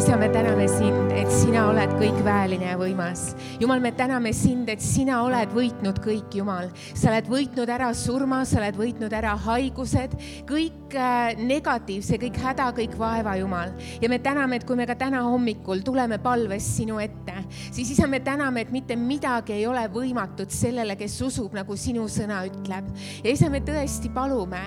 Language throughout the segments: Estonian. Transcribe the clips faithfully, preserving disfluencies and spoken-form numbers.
isa, me täname sind, et sina oled kõikväeline ja võimas. Jumal, me täname sind, et sina oled võitnud kõik, Jumal. Sa oled võitnud ära surma, sa oled võitnud ära haigused, kõik negatiivse, kõik häda, kõik vaeva, Jumal. Ja me täname, et kui me ka täna hommikul tuleme palves sinu ette, siis isa, me täname, et mitte midagi ei ole võimatut sellele, kes usub, nagu sinu sõna ütleb. Ja isa, me tõesti palume,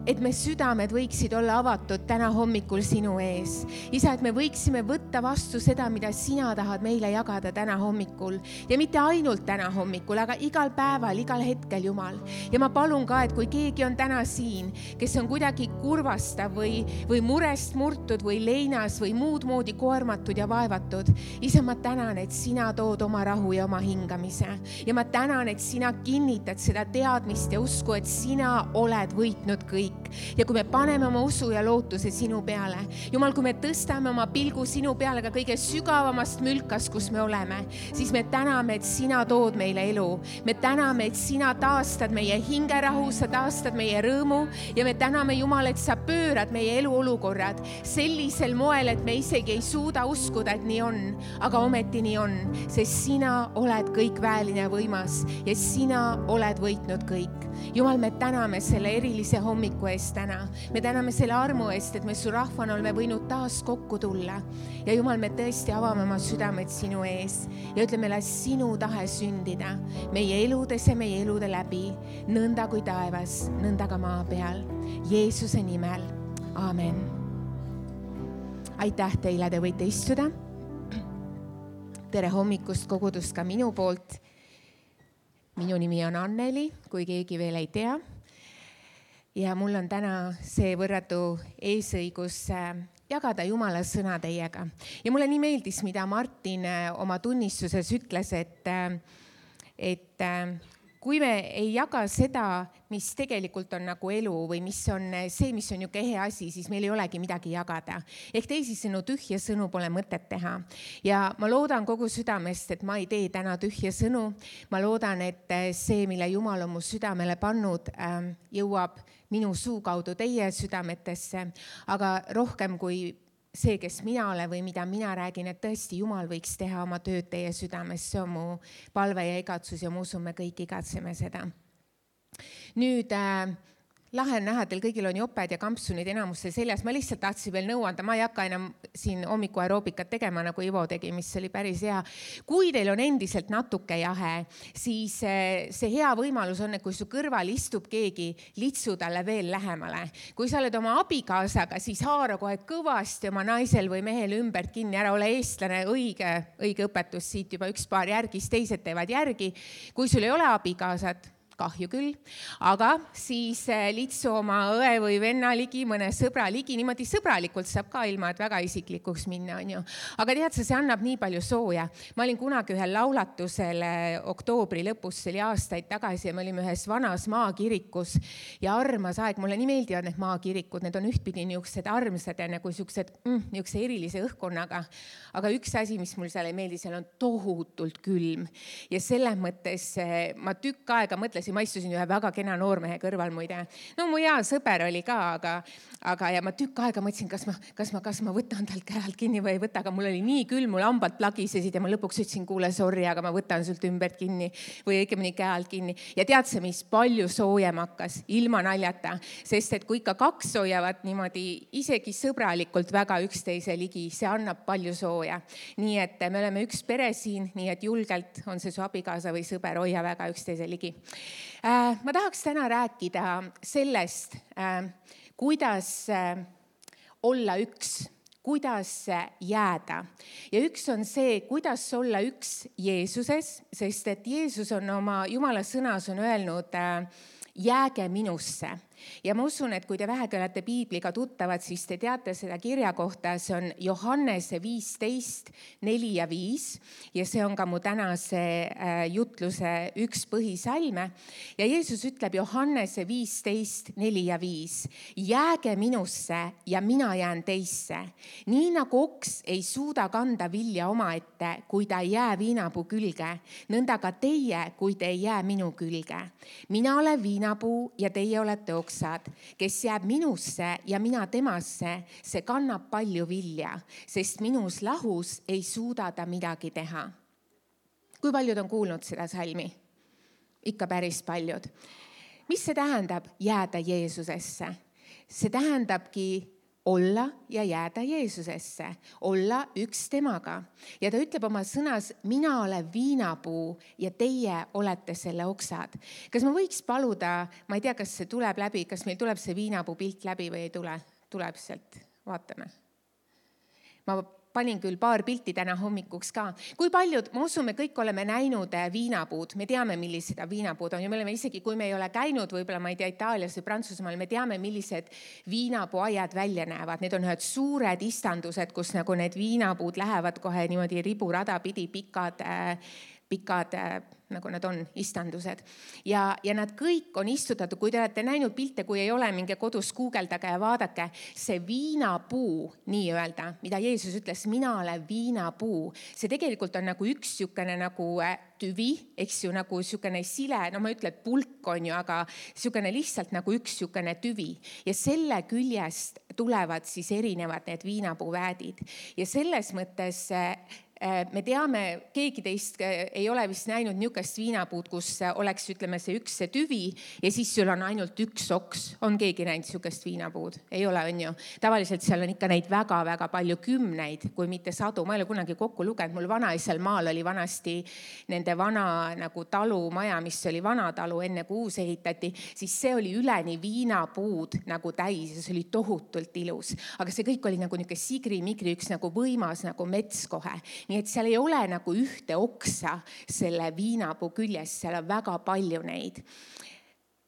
et me südamed võiksid olla avatud täna hommikul sinu ees. Isa, et me võiksime võtta vastu seda, mida sina tahad meile jagada täna hommikul. Ja mitte ainult täna hommikul, aga igal päeval, igal hetkel, Jumal. Ja ma palun ka, et kui keegi on täna siin, kes on kuidagi kurvastav või, või murest murtud või leinas või muud moodi koormatud ja vaevatud, isa, ma tänan, et sina tood oma rahu ja oma hingamise. Ja ma tänan, et sina kinnitad seda teadmist ja usku, et sina oled võitnud kõik. Ja kui me paneme oma usu ja lootuse sinu peale, Jumal, kui me tõstame oma pilgu sinu peale ka kõige sügavamast mülkas, kus me oleme, siis me täname, et sina tood meile elu. Me täname, et sina taastad meie hingerahu, sa taastad meie rõõmu ja me täname, Jumal, et sa pöörad meie eluolukorrad sellisel moel, et me isegi ei suuda uskuda, et nii on, aga ometi nii on, sest sina oled kõikväeline ja võimas ja sina oled võitnud kõik. Jumal, me täname selle erilise hommiku eest täna. Me täname selle armu eest, et me su rahvana oleme võinud taas kokku tulla. Ja Jumal, me tõesti avame oma südamed sinu ees ja ütleme, las sinu tahe sündida meie eludes ja meie elude läbi, nõnda kui taevas, nõnda ka maa peal. Jeesuse nimel. Aamen. Aitäh teile, te võite istuda. Tere hommikust kogudust ka minu poolt. Minu nimi on Anneli, kui keegi veel ei tea. Ja mul on täna see võrratu eesõigus jagada Jumala sõna teiega. Ja mulle nii meeldis, mida Martin oma tunnistuses ütles, et, et kui me ei jaga seda, mis tegelikult on nagu elu või mis on see, mis on niisugune ehe asi, siis meil ei olegi midagi jagada. Ehk teisisõnu, tühja sõnu pole mõtet teha. Ja ma loodan kogu südamest, et ma ei tee täna tühja sõnu. Ma loodan, et see, mille Jumal on mu südamele pannud, jõuab minu suu kaudu teie südametesse, aga rohkem kui see, kes mina olen või mida mina räägin, et tõesti Jumal võiks teha oma tööd teie südames. See on mu palve ja igatsus ja ma usun, me kõik igatseme seda. Nüüd äh, lahe on näha, teil kõigil on joped ja kampsunid enamusse seljas. Ma lihtsalt tahtsin veel nõu anda, ma ei hakka enam siin hommiku aeroobikat tegema, nagu Ivo tegi, mis oli päris hea. Kui teil on endiselt natuke jahe, siis see hea võimalus on, et kui su kõrval istub keegi, litsu talle veel lähemale. Kui sa oled oma abikaasaga, siis haara kohe kõvasti oma naisel või mehel ümbert kinni, ära ole eestlane, õige, õige õpetus siit juba üks paar järgis, teised teevad järgi. Kui sul ei ole abikaasat, kahju küll, aga siis litsu oma õe või venna ligi, mõne sõbra ligi, niimoodi sõbralikult saab ka ilma, et väga isiklikuks minna, on ju. Aga tead sa, see annab nii palju sooja. Ma olin kunagi ühel laulatusel oktoobri lõpus, see oli aastaid tagasi ja me olime ühes vanas maakirikus ja armas aeg, mulle nii meeldivad need maakirikud, need on ühtpidi niisugused armsad ja nagu niisugused mm, niisuguse erilise õhkkonnaga. Aga üks asi, mis mul seal ei meeldi, seal on tohutult külm ja selles mõttes ma tükk aega mõtlesin, ma istusin ühe väga kena noormehe kõrval muide. No mu hea sõber oli ka, aga, aga ja ma tükk aega mõtlesin, kas ma, kas ma, kas ma võtan talt käelt kinni või ei võta, aga mul oli nii külm, mul hambad plagisesid ja ma lõpuks ütlesin, kuule, sorry, aga ma võtan sult ümbert kinni või õigemini käelt kinni. Ja tead see, mis palju soojem hakkas, ilma naljata, sest et kui ikka kaks hoiavad niimoodi isegi sõbralikult väga üksteise ligi, see annab palju sooja. Nii et me oleme üks pere siin, nii et julgelt on see su abikaasa või sõber, hoia väga üksteise ligi. Ma tahaks täna rääkida sellest, kuidas olla üks, kuidas jääda. Ja üks on see, kuidas olla üks Jeesuses, sest et Jeesus on oma Jumala sõnas on öelnud, jääge minusse. Ja ma usun, et kui te vähegi olete piibliga tuttavad, siis te teate seda kirja kohta, see on Johannese viisteist, neli ja viis ja see on ka mu tänase jutluse üks põhisalme. Ja Jeesus ütleb Johannese viisteist, neli ja viis, jääge minusse ja mina jään teisse. Nii nagu oks ei suuda kanda vilja oma ette, kui ta ei jää viinapuu külge, nõnda ka teie, kui te ei jää minu külge. Mina olen viinapuu ja teie olete oks. oksad, kes jääb minusse ja mina temasse, see kannab palju vilja, sest minus lahus ei suuda ta midagi teha. Kui paljud on kuulnud seda salmi? Ikka päris paljud. Mis see tähendab? Jääda Jeesusesse. See tähendabki olla ja jääda Jeesusesse, olla üks temaga. Ja ta ütleb oma sõnas, mina olen viinapuu ja teie olete selle oksad. Kas ma võiks paluda, ma ei tea, kas see tuleb läbi, kas meil tuleb see viinapuu pilt läbi või ei tule? Tuleb sealt, vaatame. Ma panin küll paar pilti täna hommikuks ka. Kui paljud, ma usun, me kõik oleme näinud viinapuud, me teame, millised viinapuud on ja me oleme isegi, kui me ei ole käinud, võib-olla ma ei tea, Itaalias või Prantsusmaal, me teame, millised viinapuuaiad välja näevad. Need on ühed suured istandused, kus nagu need viinapuud lähevad kohe niimoodi riburada pidi pikad, pikad, nagu nad on, istandused. Ja, ja nad kõik on istutatud, kui te olete näinud pilte, kui ei ole, minge kodus guugeldage ja vaadake, see viinapuu, nii öelda, mida Jeesus ütles, mina olen viinapuu. See tegelikult on nagu üks sükene nagu tüvi, eks ju, nagu sükene sile, no ma ütlen, et pulk on ju, aga sükene lihtsalt nagu üks sükene tüvi. Ja selle küljest tulevad siis erinevad need viinapuuväädid. Ja selles mõttes me teame, keegi teist ei ole vist näinud niisugust viinapuud, kus oleks, ütleme, see üks see tüvi ja siis sul on ainult üks oks. On keegi näinud niisugust viinapuud? Ei ole, on ju. Tavaliselt seal on ikka neid väga-väga palju kümneid, kui mitte sadu. Ma ei ole kunagi kokku lugenud. Mul vanaisal maal oli vanasti nende vana nagu talumaja, mis oli vana talu enne kui uus ehitati, siis see oli üleni viinapuud nagu täis ja see oli tohutult ilus. Aga see kõik oli nagu niisugune sigri-migri, üks nagu võimas nagu mets kohe. Nii et seal ei ole nagu ühte oksa selle viinapuu küljes, seal on väga palju neid.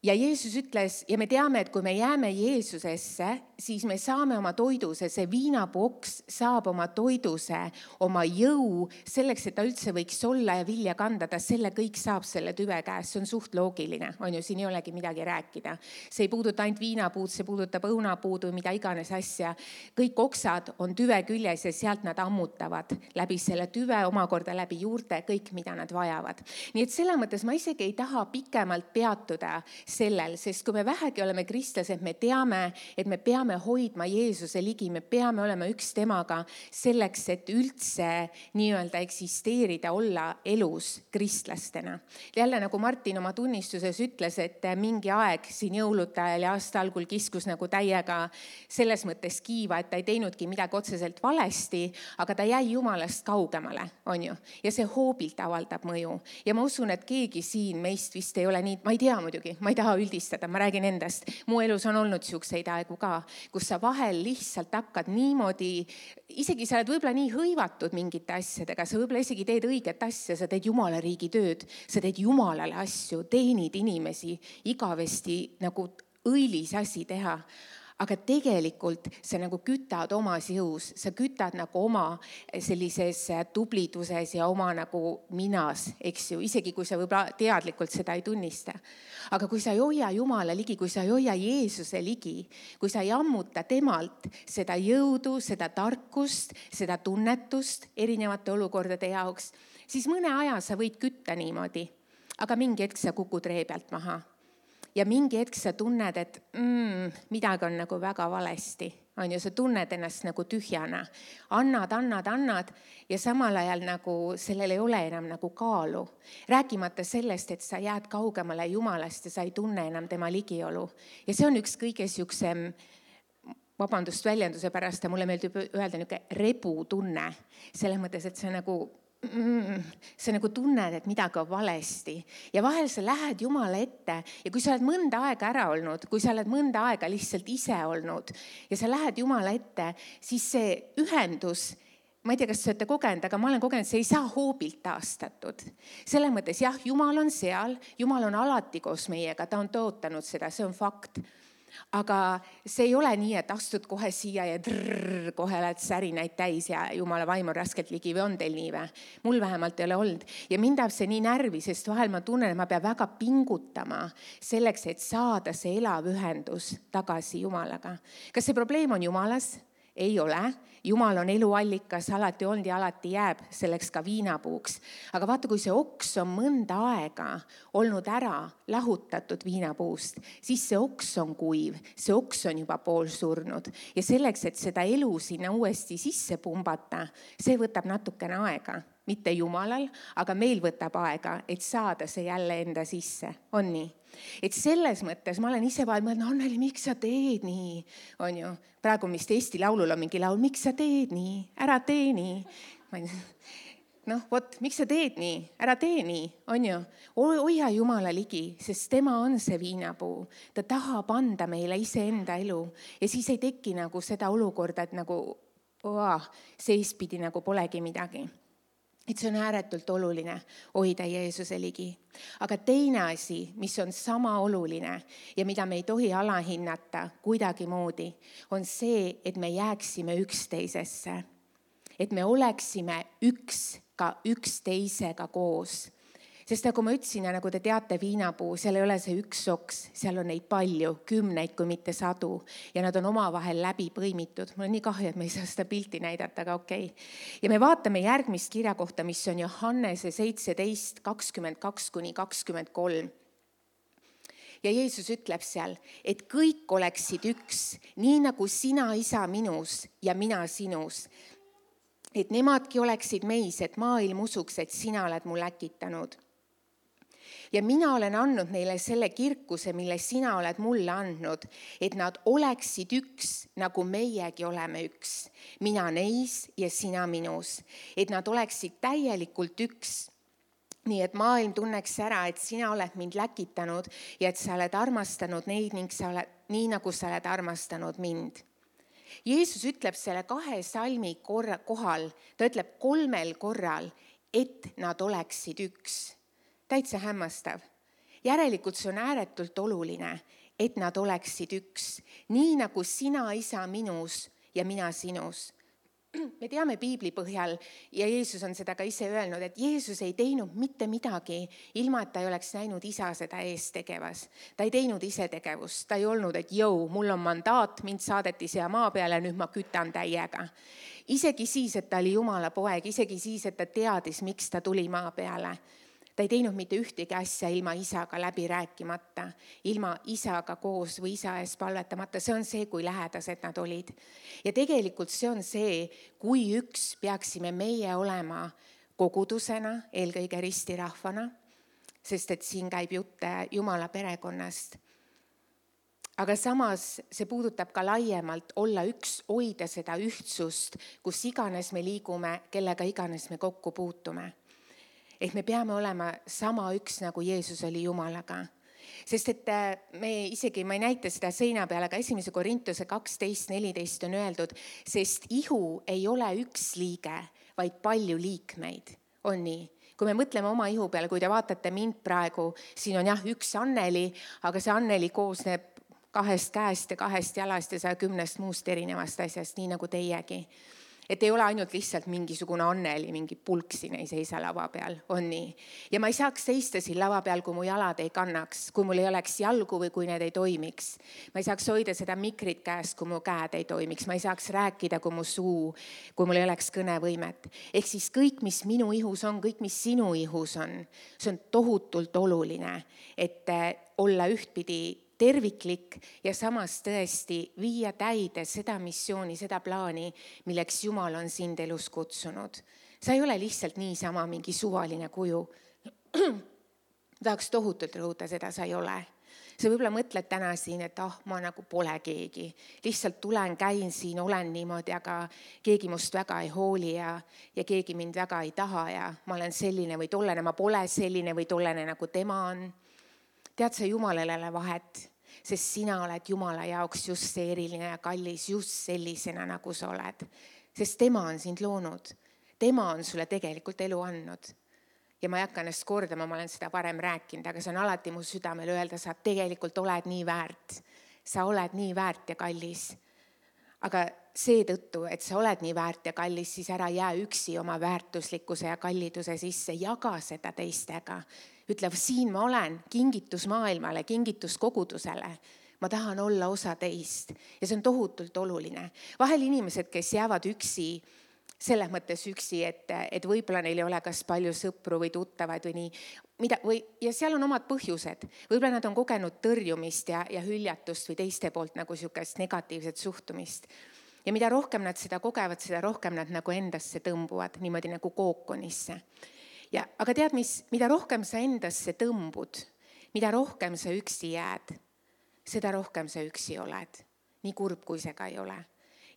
Ja Jeesus ütles, ja me teame, et kui me jääme Jeesusesse, siis me saame oma toiduse, see viinapuu oks saab oma toiduse, oma jõu, selleks, et ta üldse võiks olla ja vilja kanda, ta selle kõik saab selle tüve käes, see on suht loogiline, on ju, siin ei olegi midagi rääkida. See ei puuduta ainult viinapuud, see puudutab õunapuudu, mida iganes asja. Kõik oksad on tüve küljes ja sealt nad ammutavad läbi selle tüve, omakorda läbi juurte, kõik, mida nad vajavad. Nii et selle mõttes ma isegi ei taha pikemalt peatuda sellel, sest kui me vähegi oleme kristlased, me teame, et me peame hoidma Jeesuse ligi, me peame olema üks temaga selleks, et üldse nii-öelda eksisteerida, olla elus kristlastena. Jälle nagu Martin oma tunnistuses ütles, et mingi aeg siin jõulude ajal ja aasta algul kiskus nagu täiega selles mõttes kiiva, et ta ei teinudki midagi otseselt valesti, aga ta jäi Jumalast kaugemale, on ju. Ja see hoobilt avaldab mõju. Ja ma usun, et keegi siin meist vist ei ole nii, ma ei tea muidugi, ma ei taha üldistada, ma räägin endast. Mu elus on olnud siukseid aegu ka, kus sa vahel lihtsalt hakkad niimoodi, isegi sa oled võib-olla nii hõivatud mingite asjadega, sa võib-olla isegi teed õiget asja, sa teed Jumala riigi tööd, sa teed Jumalale asju, teenid inimesi, igavesti nagu õilis asi teha. Aga tegelikult sa nagu kütad omas jõus, sa kütad nagu oma sellises tubliduses ja oma nagu minas, eks ju, isegi kui sa võib-olla teadlikult seda ei tunnista. Aga kui sa ei hoia Jumala ligi, kui sa ei hoia Jeesuse ligi, kui sa ei ammuta temalt seda jõudu, seda tarkust, seda tunnetust erinevate olukordade jaoks, siis mõne aja sa võid kütta niimoodi, aga mingi hetk sa kukud ree pealt maha. Ja mingi hetk sa tunned, et mm, midagi on nagu väga valesti. On ju, sa tunned ennast nagu tühjana. Annad, annad, annad ja samal ajal nagu sellel ei ole enam nagu kaalu. Rääkimata sellest, et sa jääd kaugemale Jumalast ja sa ei tunne enam tema ligiolu. Ja see on üks kõige siuksem, vabandust väljenduse pärast, mulle meeldib öelda niuke rebu tunne. Selles mõttes, et see nagu... Mm, sa nagu tunned, et midagi on valesti ja vahel sa lähed Jumala ette ja kui sa oled mõnda aega ära olnud, kui sa oled mõnda aega lihtsalt ise olnud ja sa lähed Jumala ette, siis see ühendus, ma ei tea, kas sa olete kogenud, aga ma olen kogenud, see ei saa hoobilt taastatud. Selles mõttes jah, Jumal on seal, Jumal on alati koos meiega, ta on tootanud seda, see on fakt. Aga see ei ole nii, et astud kohe siia ja drrr, kohe oled särinaid täis ja Jumala vaim on raskelt ligi või on teil nii või? Mul vähemalt ei ole olnud. Ja mind tahab see nii närvi, sest vahel ma tunnen, et ma pean väga pingutama selleks, et saada see elav ühendus tagasi Jumalaga. Kas see probleem on Jumalas? Ei ole. Jumal on eluallikas, alati olnud ja alati jääb selleks ka viinapuuks. Aga vaata, kui see oks on mõnda aega olnud ära lahutatud viinapuust, siis see oks on kuiv, see oks on juba pool surnud. Ja selleks, et seda elu sinna uuesti sisse pumbata, see võtab natukene aega. Mitte Jumalal, aga meil võtab aega, et saada see jälle enda sisse. On nii? Et selles mõttes ma olen ise vahel mõelnud, Anneli, miks sa teed nii? On ju, praegu vist Eesti Laulul on mingi laul, miks sa teed nii? Ära tee nii. Noh, vot, miks sa teed nii? Ära tee nii, on ju? Hoia Jumala ligi, sest tema on see viinapuu. Ta tahab anda meile iseenda elu ja siis ei teki nagu seda olukorda, et nagu oah, seespidi nagu polegi midagi. Et see on ääretult oluline hoida Jeesuse ligi. Aga teine asi, mis on sama oluline ja mida me ei tohi alahinnata kuidagi moodi, on see, et me jääksime üksteisesse. Et me oleksime üks ka üksteisega koos. Sest nagu ma ütlesin ja nagu te teate, viinapuu, seal ei ole see üks oks, seal on neid palju, kümneid kui mitte sadu ja nad on omavahel läbi põimitud. Mul on nii kahju, et me ei saa seda pilti näidata, aga okei. Ja me vaatame järgmist kirja kohta, mis on Johannese seitseteist, kakskümmend kaks kuni kakskümmend kolm. Ja Jeesus ütleb seal, et kõik oleksid üks, nii nagu sina, isa, minus ja mina sinus. Et nemadki oleksid meis, et maailm usuks, et sina oled mul äkitanud. Ja mina olen andnud neile selle kirkuse, mille sina oled mulle andnud, et nad oleksid üks, nagu meiegi oleme üks. Mina neis ja sina minus. Et nad oleksid täielikult üks. Nii et maailm tunneks ära, et sina oled mind läkitanud ja et sa oled armastanud neid ning sa oled, nii nagu sa oled armastanud mind. Jeesus ütleb selle kahe salmi korra, kohal, ta ütleb kolmel korral, et nad oleksid üks. Täitsa hämmastav. Järelikult see on ääretult oluline, et nad oleksid üks. Nii nagu sina, isa, minus ja mina sinus. Me teame Piibli põhjal ja Jeesus on seda ka ise öelnud, et Jeesus ei teinud mitte midagi, ilma et ta ei oleks näinud isa seda eest tegevas. Ta ei teinud ise tegevust. Ta ei olnud, et jõu, mul on mandaat, mind saadeti siia maa peale, nüüd ma kütan täiega. Isegi siis, et ta oli Jumala poeg, isegi siis, et ta teadis, miks ta tuli maa peale. Ta ei teinud mitte ühtegi asja ilma isaga läbi rääkimata, ilma isaga koos või isa ees palvetamata. See on see, kui lähedased nad olid. Ja tegelikult see on see, kui üks peaksime meie olema kogudusena, eelkõige ristirahvana, sest et siin käib jutt Jumala perekonnast. Aga samas see puudutab ka laiemalt olla üks, hoida seda ühtsust, kus iganes me liigume, kellega iganes me kokku puutume. Et me peame olema sama üks, nagu Jeesus oli Jumalaga. Sest et me isegi, ma ei näita seda seina peale, aga esimese Korintuse kaksteist neliteist on öeldud, sest ihu ei ole üks liige, vaid palju liikmeid. On nii? Kui me mõtleme oma ihu peale, kui te vaatate mind praegu, siin on jah üks Anneli, aga see Anneli koosneb kahest käest ja kahest jalast ja saja kümnest muust erinevast asjast, nii nagu teiegi. Et ei ole ainult lihtsalt mingisugune Anneli, mingi pulk siin ei seisa lava peal, on nii. Ja ma ei saaks seista siin lava peal, kui mu jalad ei kannaks, kui mul ei oleks jalgu või kui need ei toimiks. Ma ei saaks hoida seda mikrit käest, kui mu käed ei toimiks. Ma ei saaks rääkida, kui mu suu, kui mul ei oleks kõnevõimet. Ehk siis kõik, mis minu ihus on, kõik, mis sinu ihus on, see on tohutult oluline, et olla ühtpidi terviklik ja samas tõesti viia täide seda missiooni, seda plaani, milleks Jumal on sind elus kutsunud. Sa ei ole lihtsalt niisama mingi suvaline kuju. Tahaks tohutult rõhuda seda, sa ei ole. Sa võib-olla mõtled täna siin, et ah, ma nagu pole keegi. Lihtsalt tulen, käin siin, olen niimoodi, aga keegi must väga ei hooli ja, ja keegi mind väga ei taha ja ma olen selline või tollene, ma pole selline või tollene, nagu tema on. Tead sa, Jumalale vahet, sest sina oled Jumala jaoks just see eriline ja kallis, just sellisena, nagu sa oled. Sest tema on sind loonud. Tema on sulle tegelikult elu andnud. Ja ma ei hakka ennast kordama, ma olen seda varem rääkinud, aga see on alati mu südamel öelda, sa tegelikult oled nii väärt. Sa oled nii väärt ja kallis. Aga seetõttu, et sa oled nii väärt ja kallis, siis ära jää üksi oma väärtuslikkuse ja kalliduse sisse, jaga seda teistega. Ütlev, siin ma olen, kingitus maailmale, kingitus kogudusele. ma tahan olla osa teist ja see on tohutult oluline. Vahel inimesed, kes jäävad üksi, selles mõttes üksi, et, et võib-olla neil ei ole kas palju sõpru või tuttavaid või nii, mida, või, ja seal on omad põhjused. Võib-olla nad on kogenud tõrjumist ja, ja hüljatust või teiste poolt nagu niisugust negatiivset suhtumist. Ja mida rohkem nad seda kogevad, seda rohkem nad nagu endasse tõmbuvad, niimoodi nagu kookonisse. Ja, aga tead, mis, mida rohkem sa endasse tõmbud, mida rohkem sa üksi jääd, seda rohkem sa üksi oled. Nii kurb, kui see ka ei ole.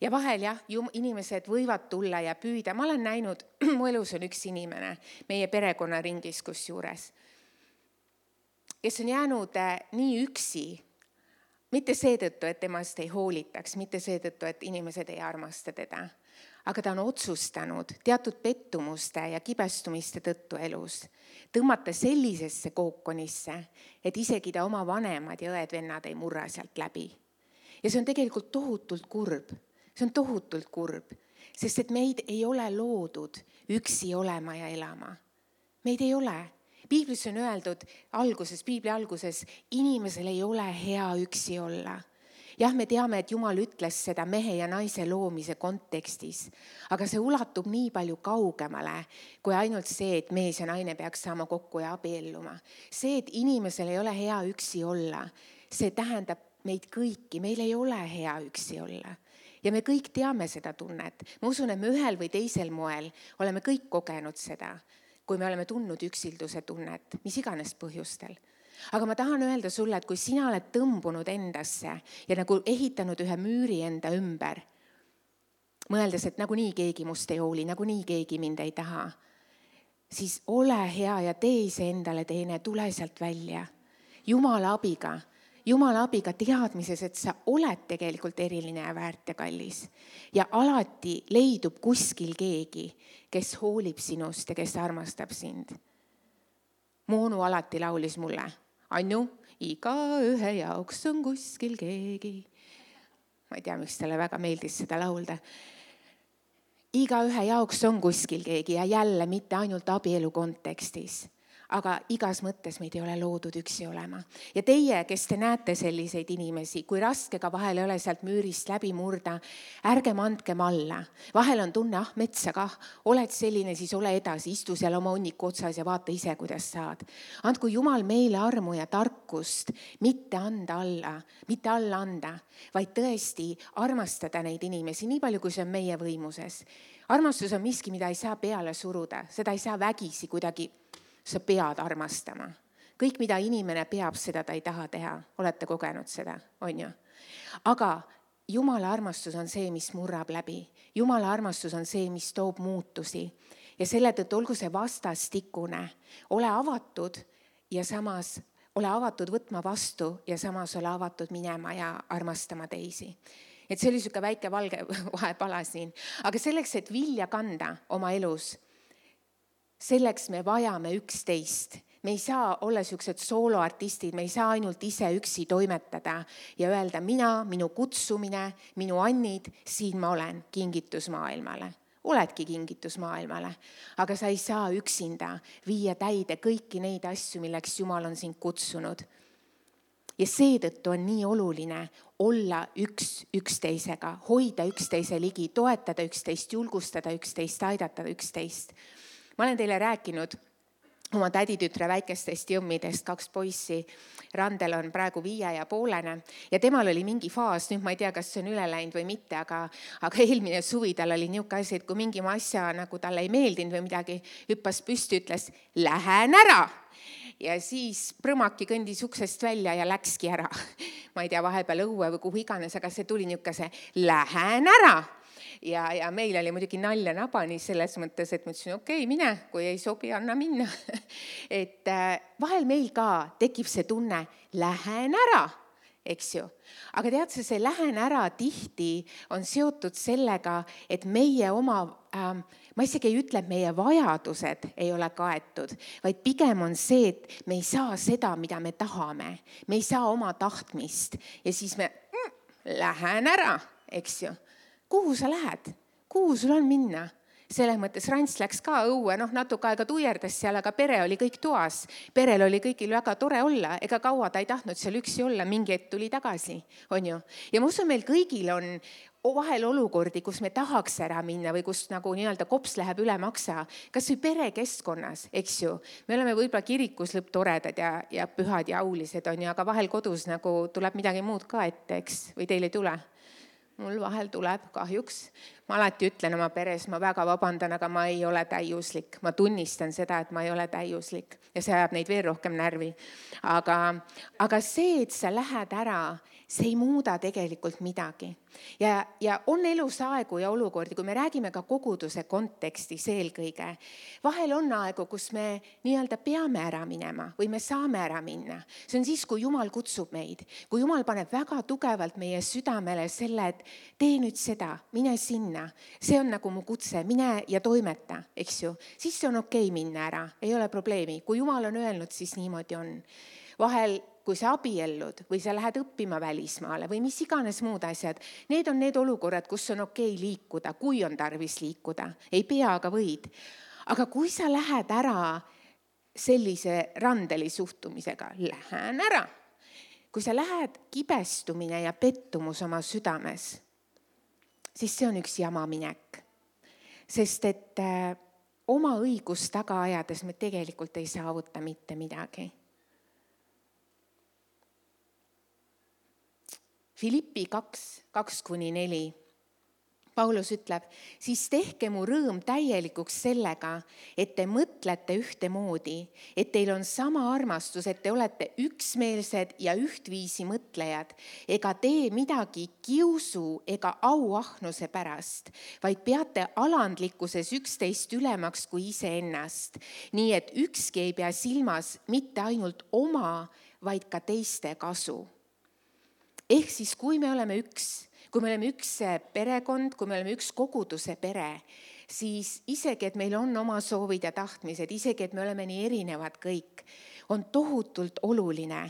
Ja vahel jah, inimesed võivad tulla ja püüda. Ma olen näinud, mu elus on üks inimene meie perekonnaringis kusjuures, kes on jäänud nii üksi, mitte seetõttu, et temast ei hoolitaks, mitte seetõttu, et inimesed ei armasta teda, aga ta on otsustanud teatud pettumuste ja kibestumiste tõttu elus tõmmata sellisesse kookonisse, et isegi ta oma vanemad ja õed-vennad ei murra sealt läbi. Ja see on tegelikult tohutult kurb. See on tohutult kurb, sest et meid ei ole loodud üksi olema ja elama. Meid ei ole. Piiblis on öeldud alguses, Piibli alguses, inimesel ei ole hea üksi olla. Jah, me teame, et Jumal ütles seda mehe ja naise loomise kontekstis, aga see ulatub nii palju kaugemale, kui ainult see, et mees ja naine peaks saama kokku ja abielluma. See, et inimesel ei ole hea üksi olla, see tähendab meid kõiki, meil ei ole hea üksi olla. Ja me kõik teame seda tunnet. Ma usun, et me ühel või teisel moel oleme kõik kogenud seda, kui me oleme tundnud üksilduse tunnet, mis iganes põhjustel. Aga ma tahan öelda sulle, et kui sina oled tõmbunud endasse ja nagu ehitanud ühe müüri enda ümber, mõeldes, et nagu nii keegi must ei hooli, nagu nii keegi mind ei taha, siis ole hea ja tee ise endale teene, tule sealt välja. Jumala abiga. Jumala abiga teadmises, et sa oled tegelikult eriline ja väärt ja kallis. Ja alati leidub kuskil keegi, kes hoolib sinust ja kes armastab sind. Moonu alati laulis mulle, Anju, iga ühe jaoks on kuskil keegi. Ma ei tea, miks talle väga meeldis seda laulda. Iga ühe jaoks on kuskil keegi ja jälle mitte ainult abielu kontekstis. Aga igas mõttes meid ei ole loodud üksi olema. Ja teie, kes te näete selliseid inimesi, kui raske ka vahel ei ole sealt müürist läbi murda, ärgem andkem alla. Vahel on tunne, ah metsa kah, oled selline, siis ole edasi, istu seal oma hunniku otsas ja vaata ise, kuidas saad. Andku Jumal meile armu ja tarkust, mitte anda alla, mitte alla anda, vaid tõesti armastada neid inimesi, nii palju, kui see on meie võimuses. Armastus on miski, mida ei saa peale suruda, seda ei saa vägisi kuidagi. Sa pead armastama. Kõik, mida inimene peab, seda ta ei taha teha. Olete kogenud seda, on ju? Aga Jumala armastus on see, mis murrab läbi. Jumala armastus on see, mis toob muutusi. Ja selle tõttu olgu see vastastikune. Ole avatud ja samas ole avatud võtma vastu ja samas ole avatud minema ja armastama teisi. Et see oli siuke väike valge vahepala siin. Aga selleks, et vilja kanda oma elus, selleks me vajame üksteist. Me ei saa olla siuksed sooloartistid, me ei saa ainult ise üksi toimetada ja öelda mina, minu kutsumine, minu annid, siin ma olen, kingitus maailmale. Oledki kingitus maailmale, aga sa ei saa üksinda viia täide kõiki neid asju, milleks Jumal on sind kutsunud. Ja seetõttu on nii oluline olla üks üksteisega, hoida üksteise ligi, toetada üksteist, julgustada üksteist, aidata üksteist. Ma olen teile rääkinud oma täditütre väikestest jõmmidest, kaks poissi. Randel on praegu viie ja poolene ja temal oli mingi faas, nüüd ma ei tea, kas see on üle läinud või mitte, aga, aga eelmine suvi tal oli niuke asi, et kui mingi asja nagu talle ei meeldinud või midagi, hüppas püsti, ütles, lähen ära. Ja siis prõmaki kõndis uksest välja ja läkski ära. Ma ei tea, vahepeal õue või kuhu iganes, aga see tuli niukese, lähen ära. Ja, ja meil oli muidugi nalja nabani selles mõttes, et ma ütlesin, okei, okay, mine, kui ei sobi, anna minna. Et vahel meil ka tekib see tunne, lähen ära, eks ju. Aga tead sa, see lähen ära tihti on seotud sellega, et meie oma, äh, ma isegi ei ütle, et meie vajadused ei ole kaetud, vaid pigem on see, et me ei saa seda, mida me tahame. Me ei saa oma tahtmist ja siis me mm, lähen ära, eks ju. Kuhu sa lähed? Kuhu sul on minna? selles mõttes Rants läks ka õue, noh natuke aega tuierdas seal, aga pere oli kõik toas. Perel oli kõigil väga tore olla, ega kaua ta ei tahtnud seal üksi olla, mingi hetk tuli tagasi, on ju. Ja ma usun, meil kõigil on vahel olukordi, kus me tahaks ära minna või kus nagu nii-öelda kops läheb üle maksa, kas või perekeskkonnas, eks ju. Me oleme võib-olla kirikus lõpptoredad ja, ja pühad ja aulised, on ju, aga vahel kodus nagu tuleb midagi muud ka ette, eks, või teil ei tule? Mul vahel tuleb kahjuks. Ma alati ütlen oma peres, ma väga vabandan, aga ma ei ole täiuslik. Ma tunnistan seda, et ma ei ole täiuslik ja see ajab neid veel rohkem närvi. Aga, aga see, et sa lähed ära, see ei muuda tegelikult midagi. Ja, ja on elus aegu ja olukordi, kui me räägime ka koguduse kontekstis eelkõige. Vahel on aegu, kus me nii-öelda peame ära minema või me saame ära minna. See on siis, kui Jumal kutsub meid. Kui Jumal paneb väga tugevalt meie südamele selle, et tee nüüd seda, mine sinna. See on nagu mu kutse, mine ja toimeta, eks ju. Siis see on okei minna ära, ei ole probleemi. Kui Jumal on öelnud, siis niimoodi on. Vahel kui sa abiellud või sa lähed õppima välismaale või mis iganes muud asjad, need on need olukorrad, kus on okei liikuda, kui on tarvis liikuda. Ei pea, aga võid. Aga kui sa lähed ära sellise randeli suhtumisega, lähen ära. Kui sa lähed kibestumine ja pettumus oma südames, siis see on üks jama minek. Sest et oma õigust taga ajades me tegelikult ei saavuta mitte midagi. Filippi kaks, kaks kuni neli. Paulus ütleb, siis tehke mu rõõm täielikuks sellega, et te mõtlete ühtemoodi, et teil on sama armastus, et te olete üksmeelsed ja ühtviisi mõtlejad, ega tee midagi kiusu ega auahnuse pärast, vaid peate alandlikkuses üksteist ülemaks kui iseennast, nii et ükski ei pea silmas mitte ainult oma, vaid ka teiste kasu. Ehk siis, kui me oleme üks, kui me oleme üks perekond, kui me oleme üks koguduse pere, siis isegi, et meil on oma soovid ja tahtmised, isegi, et me oleme nii erinevad kõik, on tohutult oluline,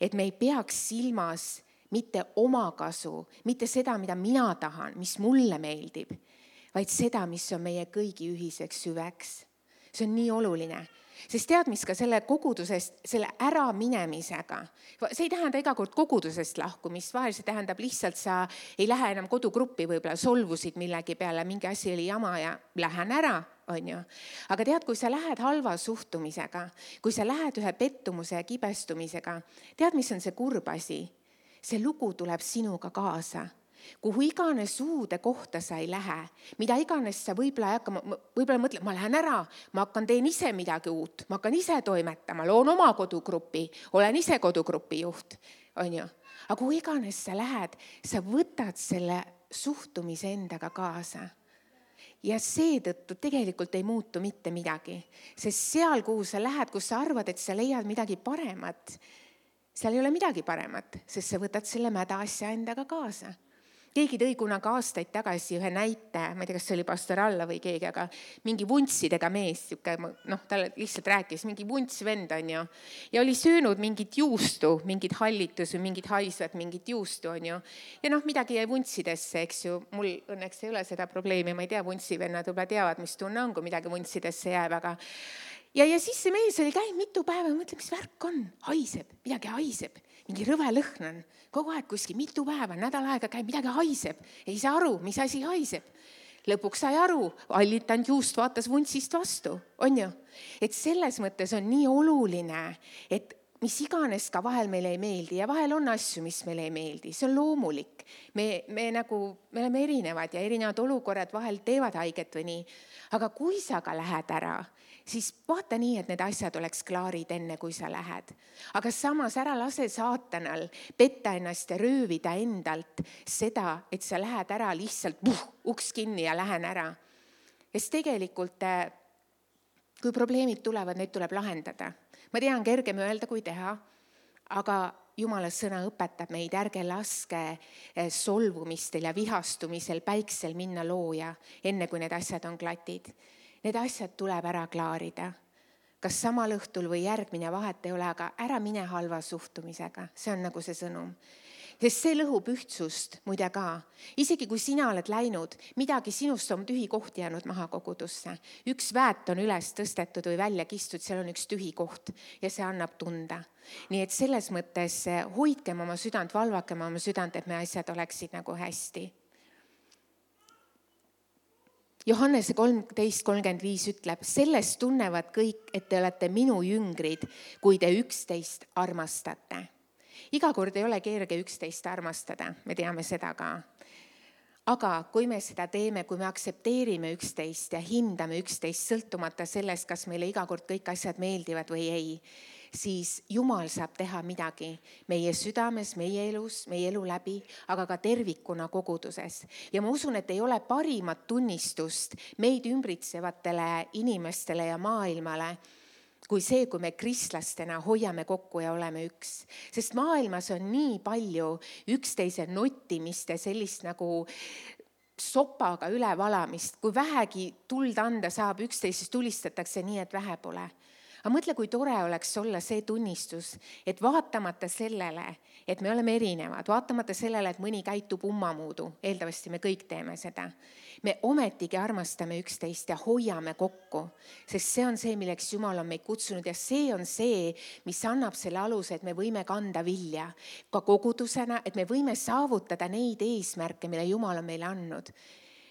et me ei peaks silmas mitte oma kasu, mitte seda, mida mina tahan, mis mulle meeldib, vaid seda, mis on meie kõigi ühiseks hüveks. See on nii oluline. Sest tead, mis ka selle kogudusest, selle ära minemisega, see ei tähenda iga kord kogudusest lahkumist, vahel see tähendab lihtsalt, sa ei lähe enam kodugruppi, võib-olla solvusid millegi peale, mingi asi oli jama ja lähen ära, on ju. Aga tead, kui sa lähed halva suhtumisega, kui sa lähed ühe pettumuse ja kibestumisega, tead, mis on see kurb asi? See lugu tuleb sinuga kaasa. Kuhu iganes uude kohta sa ei lähe, mida iganes sa võib-olla hakkama, võib-olla mõtled, ma lähen ära, ma hakkan teen ise midagi uut, ma hakkan ise toimetama, loon oma kodugrupi, olen ise kodugrupi juht, on ju. Aga kuhu iganes sa lähed, sa võtad selle suhtumise endaga kaasa. Ja seetõttu tegelikult ei muutu mitte midagi, sest seal, kuhu sa lähed, kus sa arvad, et sa leiad midagi paremat, seal ei ole midagi paremat, sest sa võtad selle mäda asja endaga kaasa. Keegi tõi kunagi aastaid tagasi ühe näite, ma ei tea, kas see oli pastor Alla või keegi, aga mingi vuntsidega mees, noh, ta lihtsalt rääkis, mingi vunts vend on ju, ja oli söönud mingit juustu, mingit hallitus või mingit haisvat, mingit juustu on ju, ja noh, midagi jäi vuntsidesse, eks ju, mul õnneks ei ole seda probleemi, ma ei tea, vuntsivennad võib-olla teavad, mis tunne on, kui midagi vuntsidesse jääb, aga ja, ja siis see mees oli käinud mitu päeva ja mõtleb, mis värk on, haiseb, midagi haiseb. Mingi rõve lõhn on, kogu aeg kuskil mitu päeva, nädal aega käib, midagi haiseb. Ei saa aru, mis asi haiseb. Lõpuks sai aru, allitanud juust vaatas vuntsist vastu, on ju. Et selles mõttes on nii oluline, et mis iganes ka vahel meile ei meeldi ja vahel on asju, mis meile ei meeldi. See on loomulik. Me, me, nagu, me oleme erinevad ja erinevad olukorrad vahel teevad haiget või nii. Aga kui sa ka lähed ära, siis vaata nii, et need asjad oleks klaarid enne, kui sa lähed. Aga samas ära lase saatanal petta ennast ja röövida endalt seda, et sa lähed ära lihtsalt puh, uks kinni ja lähen ära. Sest tegelikult, kui probleemid tulevad, neid tuleb lahendada. Ma tean, kergem öelda, kui teha, aga Jumala sõna õpetab meid, ärge laske solvumistel ja vihastumisel päiksel minna looja, enne kui need asjad on klatid. Need asjad tuleb ära klaarida. Kas samal õhtul või järgmine vahet ei ole, aga ära mine halva suhtumisega. See on nagu see sõnum. Sest see lõhub ühtsust muide ka. Isegi kui sina oled läinud, midagi sinust on tühi koht jäänud maha kogudusse. Üks väät on üles tõstetud või välja kistud, seal on üks tühi koht ja see annab tunda. Nii et selles mõttes hoidkem oma südant, valvakem oma südant, et me asjad oleksid nagu hästi. Johannese kolmteist kolmkümmend viis ütleb, sellest tunnevad kõik, et te olete minu jüngrid, kui te üksteist armastate. Iga kord ei ole kerge üksteist armastada, me teame seda ka. Aga kui me seda teeme, kui me aktsepteerime üksteist ja hindame üksteist sõltumata sellest, kas meile iga kord kõik asjad meeldivad või ei, siis Jumal saab teha midagi meie südames, meie elus, meie elu läbi, aga ka tervikuna koguduses. Ja ma usun, et ei ole parimat tunnistust meid ümbritsevatele inimestele ja maailmale, kui see, kui me kristlastena hoiame kokku ja oleme üks. Sest maailmas on nii palju üksteise nottimist ja sellist nagu sopaga ülevalamist, kui vähegi tuld anda saab, üksteisest tulistatakse nii, et vähe pole. Aga mõtle, kui tore oleks olla see tunnistus, et vaatamata sellele, et me oleme erinevad, vaatamata sellele, et mõni käitub ummamuudu, eeldavasti me kõik teeme seda, me ometigi armastame üksteist ja hoiame kokku, sest see on see, milleks Jumal on meid kutsunud ja see on see, mis annab selle aluse, et me võime kanda vilja ka kogudusena, et me võime saavutada neid eesmärke, mille Jumal on meile andnud.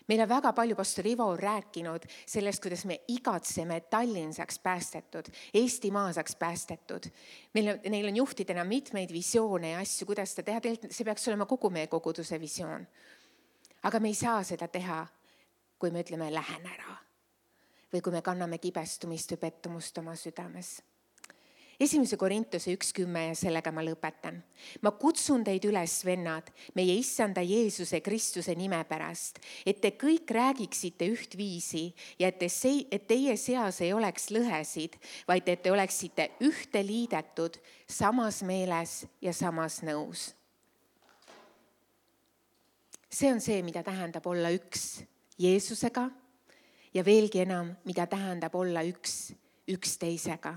Meil on väga palju pastor Ivo rääkinud sellest, kuidas me igatseme, et Tallinn saaks päästetud, Eestimaa saaks päästetud. Meil on, neil on juhtidena mitmeid visioone ja asju, kuidas seda teha. See peaks olema kogu meie koguduse visioon. Aga me ei saa seda teha, kui me ütleme, lähen ära. Või kui me kanname kibestumist või pettumust oma südames. Esimese Korintuse üks kümme ja sellega ma lõpetan. Ma kutsun teid üles, vennad, meie issanda Jeesuse Kristuse nime pärast, et te kõik räägiksite üht viisi ja et, te see, et teie seas ei oleks lõhesid, vaid et te oleksite ühte liidetud samas meeles ja samas nõus. See on see, mida tähendab olla üks Jeesusega ja veelgi enam, mida tähendab olla üks üksteisega.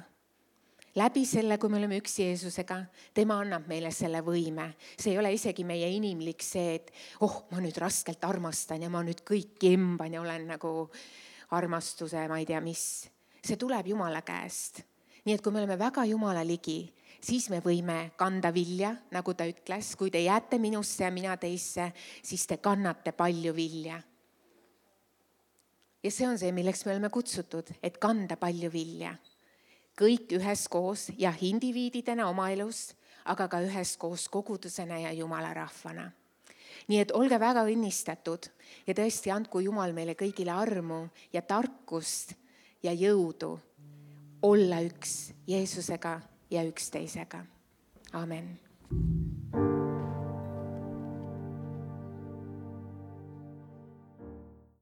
Läbi selle, kui me oleme üks Jeesusega, tema annab meile selle võime. See ei ole isegi meie inimlik see, et oh, ma nüüd raskelt armastan ja ma nüüd kõiki emban ja olen nagu armastuse, ma ei tea mis. See tuleb Jumala käest. Nii et kui me oleme väga Jumala ligi, siis me võime kanda vilja, nagu ta ütles. Kui te jääte minusse ja mina teisse, siis te kannate palju vilja. Ja see on see, milleks me oleme kutsutud, et kanda palju vilja. Kõik üheskoos ja indiviididena oma elus, aga ka üheskoos kogudusena ja Jumala rahvana. Nii et olge väga õnnistatud ja tõesti andku Jumal meile kõigile armu ja tarkust ja jõudu olla üks Jeesusega ja üksteisega. Amen.